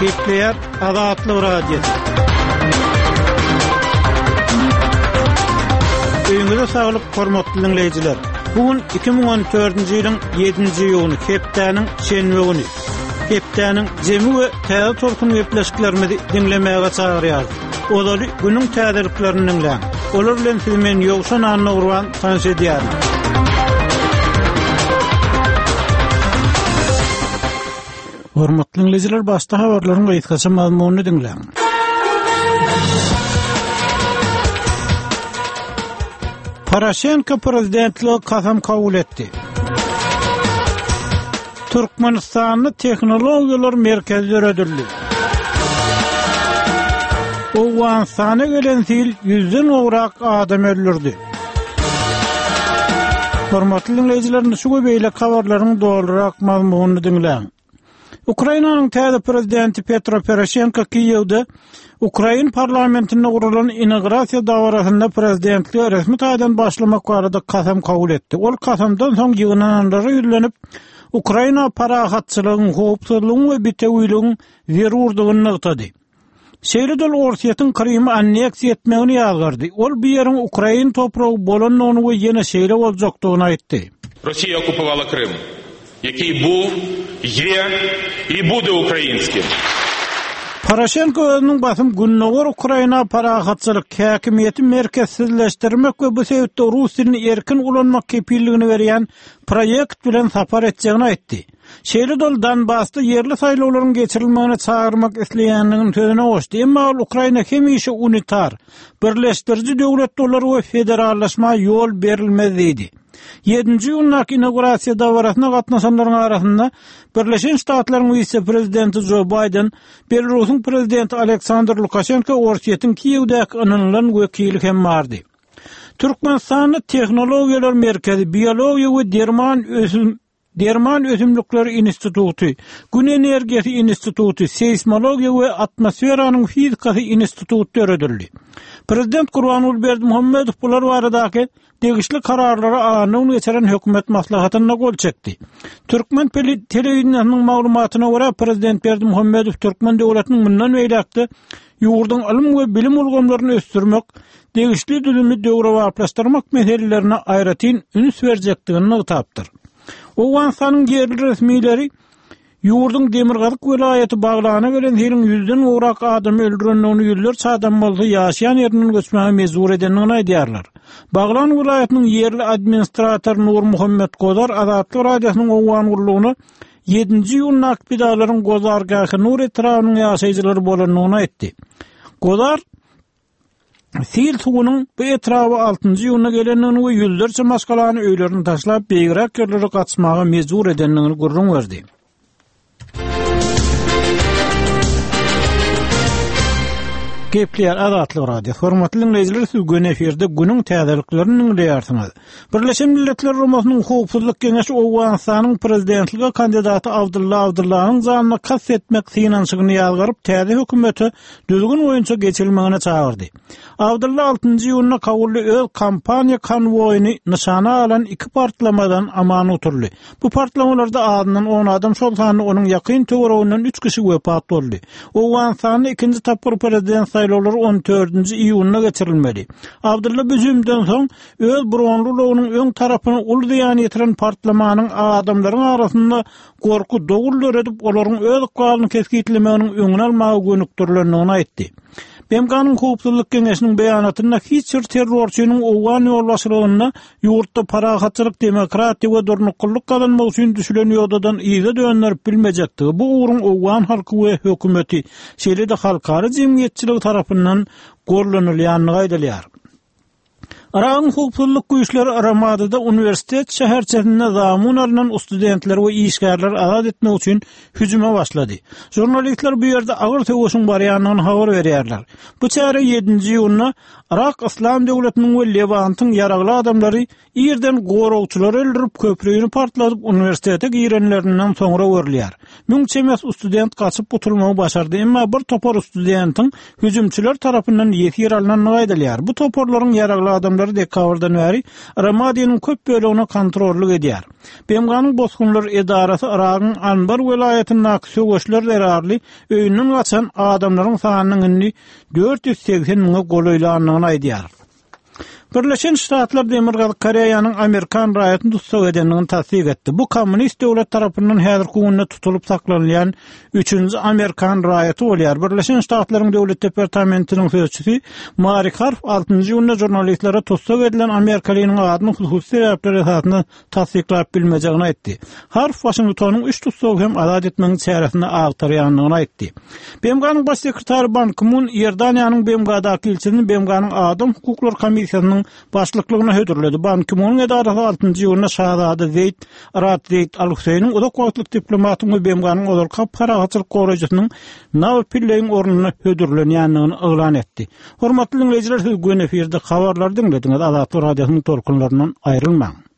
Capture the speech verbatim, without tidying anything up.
Gepleýär Azatlyk Radiosy. Öýüňize saglyk, hormatly diňleýjiler. Bu gün iki müň on dördünji ýylyň ýedinji iýuny, hepdäniň şenbe güni. Hepdäniň jemi we täze tolkun gepleşiklerimizi diňlemäge çagyrýarys. Ozaly günüň täzeliklerini diňläň. Olar bilen sizi men Ýowşan Annagurban tanyş edýärin. Hormatly diňleýjiler, başda habarlaryň gysgaça mazmunyny diňläň. Poroşenko prezidentlige kasam kabul etdi. Türkmenistanda tehnologiýalar merkezi döredildi. Owganystana gelen sil ýüzden gowrak adam öldürdi. Hormatly diňleýjiler, indi şu we beýleki habarlaryň dolurak mazmunyny diňläň. Ukrainanyň täze prezidenti Petro Poroşenko Kiýewde Ukrain parlamentinde guralan inaugurasiýa dabarasynda prezidentlige resmi taýdan başlamak barada kasam kabul etdi. Ol kasamdan soň ýygnananlara ýüzlenip, Ukraina parahatçylygyň, howpsuzlygyň we bitewiligiň zerurdygyny nygtady. Şeýle-de ol Orsýetiň Krymy anneksiýa etmegini ýazgardy. Ol bu ýeriň ukrain topragy bolandygyny we ýene şeýle boljakdygyny aýtdy. Росія окупувала Крим, який був, є і буде ukrainським. Poroşenko özüniň basym Gündogar Ukraina parahatçylyk, häkimiýeti merkezsizleşdirmek we bu sebitde rus dilini erkin ulanmak kepilligini berýän proýekt bilen sapar etjegini aýtdy. Şeýle-de ol Donbasda ýerli saýlawlaryň geçirilmegine çagyrmak isleýändigini sözüne goşdy. Emma ol Ukraina hemişe unitar, birleşdiriji döwlet bolar we federallaşma ýol berilmez diýdi. Ýedinji iýundaky inaugurasiýa dabarasyna gatnaşanlaryň arasynda Birleşen Ştatlaryň wise-prezidenti Joe Biden, Belarusyň prezidenti Aleksandr Lukaşenko, Orsýetiň Kiýewdäki ynanylan wekili hem bardy. Türkmenistanda tehnologiýalar merkezi, biologiýa we derman ösüm, derman ösümlikleri instituty, Gün energiýasy instituty, seýsmologiýa we atmosferanyň fizikasy instituty döredildi. Prezident Gurbanguly Berdimuhamedow bular baradaky degişli kararlara anna geçiren hökümet maslahatynda gol çekdi. Türkmen telewideniýesiniň maglumatyna görä Prezident Berdimuhamedow Türkmen döwletiniň mundan beýläkde ýurduň ylym we bilim ulgamlaryny ösdürmek, degişli düzümi döwrebaplaşdyrmak meselelerine aýratyn üns berjekdigini nygtapdyr. Owganystanyň ýerli resmileri ýurduň Demirgazyk welaýaty Baglana gelen siliň ýüzden gowrak adamy öldürendigini, ýüzlerçe adam bolsa ýaşaýan ýerinden göçmäge mejbur edendigini aýdýarlar. Baglan welaýatynyň ýerli administratory Nur Muhammed Gozar Azatlyk Radiosynyň Owgan gullugyna ýedinji iýundaky pidalaryň Gozargähi Nur etrabynyň ýaşaýjylary bolandygyny aýtdy. Gozar sil suwunyň bu etraba altynjy iýunda gelendigini we ýüzlerçe maşgalany öýlerini taşlap beýigräk ýerlere gaçmaga mejbur edendigini gürrüň berdi. Gepleýär Azatlyk Radiosy. Hormatly diňleýjiler, siz gün efirde günüň täzeliklerini diňleýärsiňiz. Birleşen Milletler Guramasynyň Howpsuzlyk Geňeşi Owganystanyň prezidentlige kandidaty Abdulla Abdullanyň janyna kast etmek synanyşygyny ýazgaryp, täze hökümete düzgün boýunça geçirilmegine çagyrdy. Abdulla altynjy iýunda Kabulda öz kampaniýa konwoýyny nyşana alan iki partlamadan aman oturdy. Bu partlamalarda azyndan on adam, şol sanda onuň ýakyn töwereginden üç kişi wepat boldy. Owganystanda ikinji tapgyr prezident saýlawlary on dördünji iýunda geçirilmeli. Abdulla büzümden soň öz bronly ulagynyň öň tarapyna uly zyýan ýetiren partlamanyň adamlaryň arasynda gorky dogul döredip, olaryň öz ykbalyny kesgitlemeginiň öňüni almaga gönükdirilendigini aýtdy. B M G-nyň Howpsuzlyk Geňeşiniň beýanatynda hiç bir terrorçynyň Owgan ýolbaşçylygynda ýurtda parahatçylyk, demokratiýa we durnuklylyk gazanmak üçin düşülen ýodadan yza döndürip bilmejekdigi, bu ugruň Owgan halky we hökümeti, şeýle-de halkara jemgyýetçiligi tarapyndan gollanylýandygy aýdylýar. Yragyň howpsuzlyk güýçleri Ramadyda uniwersitet şäherçesinde zamun alynan studentleri we işgärleri azat etmek üçin hüjüme başlady. Jurnalistler bu ýerde agyr söweşiň barýandygyny habar berýärler. Bu çäre ýedinji iýunda Yrak Islam döwletiniň we Lewantyň ýaragly adamlary ýerden goragçylary öldürip, köprüni partladyp uniwersitete girenlerinden soňra görülýär. Müň çemesi student gaçyp gutulmagy başardy, emma bir topar studentiň hüjümçiler tarapyndan ýesir alynandygy aýdylýar. Bu toparlaryň ýaragly adamlary toparlary dekabrdan bäri Ramadiniň köp bölegine kontrollyk edýär. B M G-nyň bosgunlar edarasy Yragyň Anbar welaýatyndaky söweşler zerarly öýünden gaçan adamlaryň sanynyň indi dört ýüz segsen müňe golaýlandygyny aýdýar. Birleşen Ştatlar Demirgazyk Koreýanyň Amerikan raýatyny tussag edendigini tassyk etdi. Bu kommunist döwlet tarapyndan häzirki günde tutulyp saklanylýan üçünji Amerikan raýaty bolýar. Birleşen Ştatlaryň Döwlet departamentiniň sözçüsi Marik Harf altynjy iýunda žurnalistlere tussag edilen amerikalynyň adyny hususy sebäpler esasynda tassyklap bilmejegini aýtdy. Harf Waşingtonyň üç tussagy hem azat etmegiň çäresini agtarýandygyny aýtdy. B M G-nyň baş sekretary Ban Ki-mun Iordaniýanyň B M G-daky ilçisini B M G-nyň Adam hukuklary komissiýasynyň başlyklygyna hödürledi. Ban Ki-munyň edarasy altynjy iýunda Şahzada Zeýd Raad Zeýd Al-Hüseýniň, uzak wagtlyk diplomatyň we B M G-nyň ozalky parahatçylyk goraýjysynyň Nawi Pilleýiň ornuna hödürlenýändigini yglan etdi. Hormatly dinleýjiler, siz göni efirde habarlary diňlediňiz. Azatlyk Radiosynyň tolkunlaryndan aýrylmaň.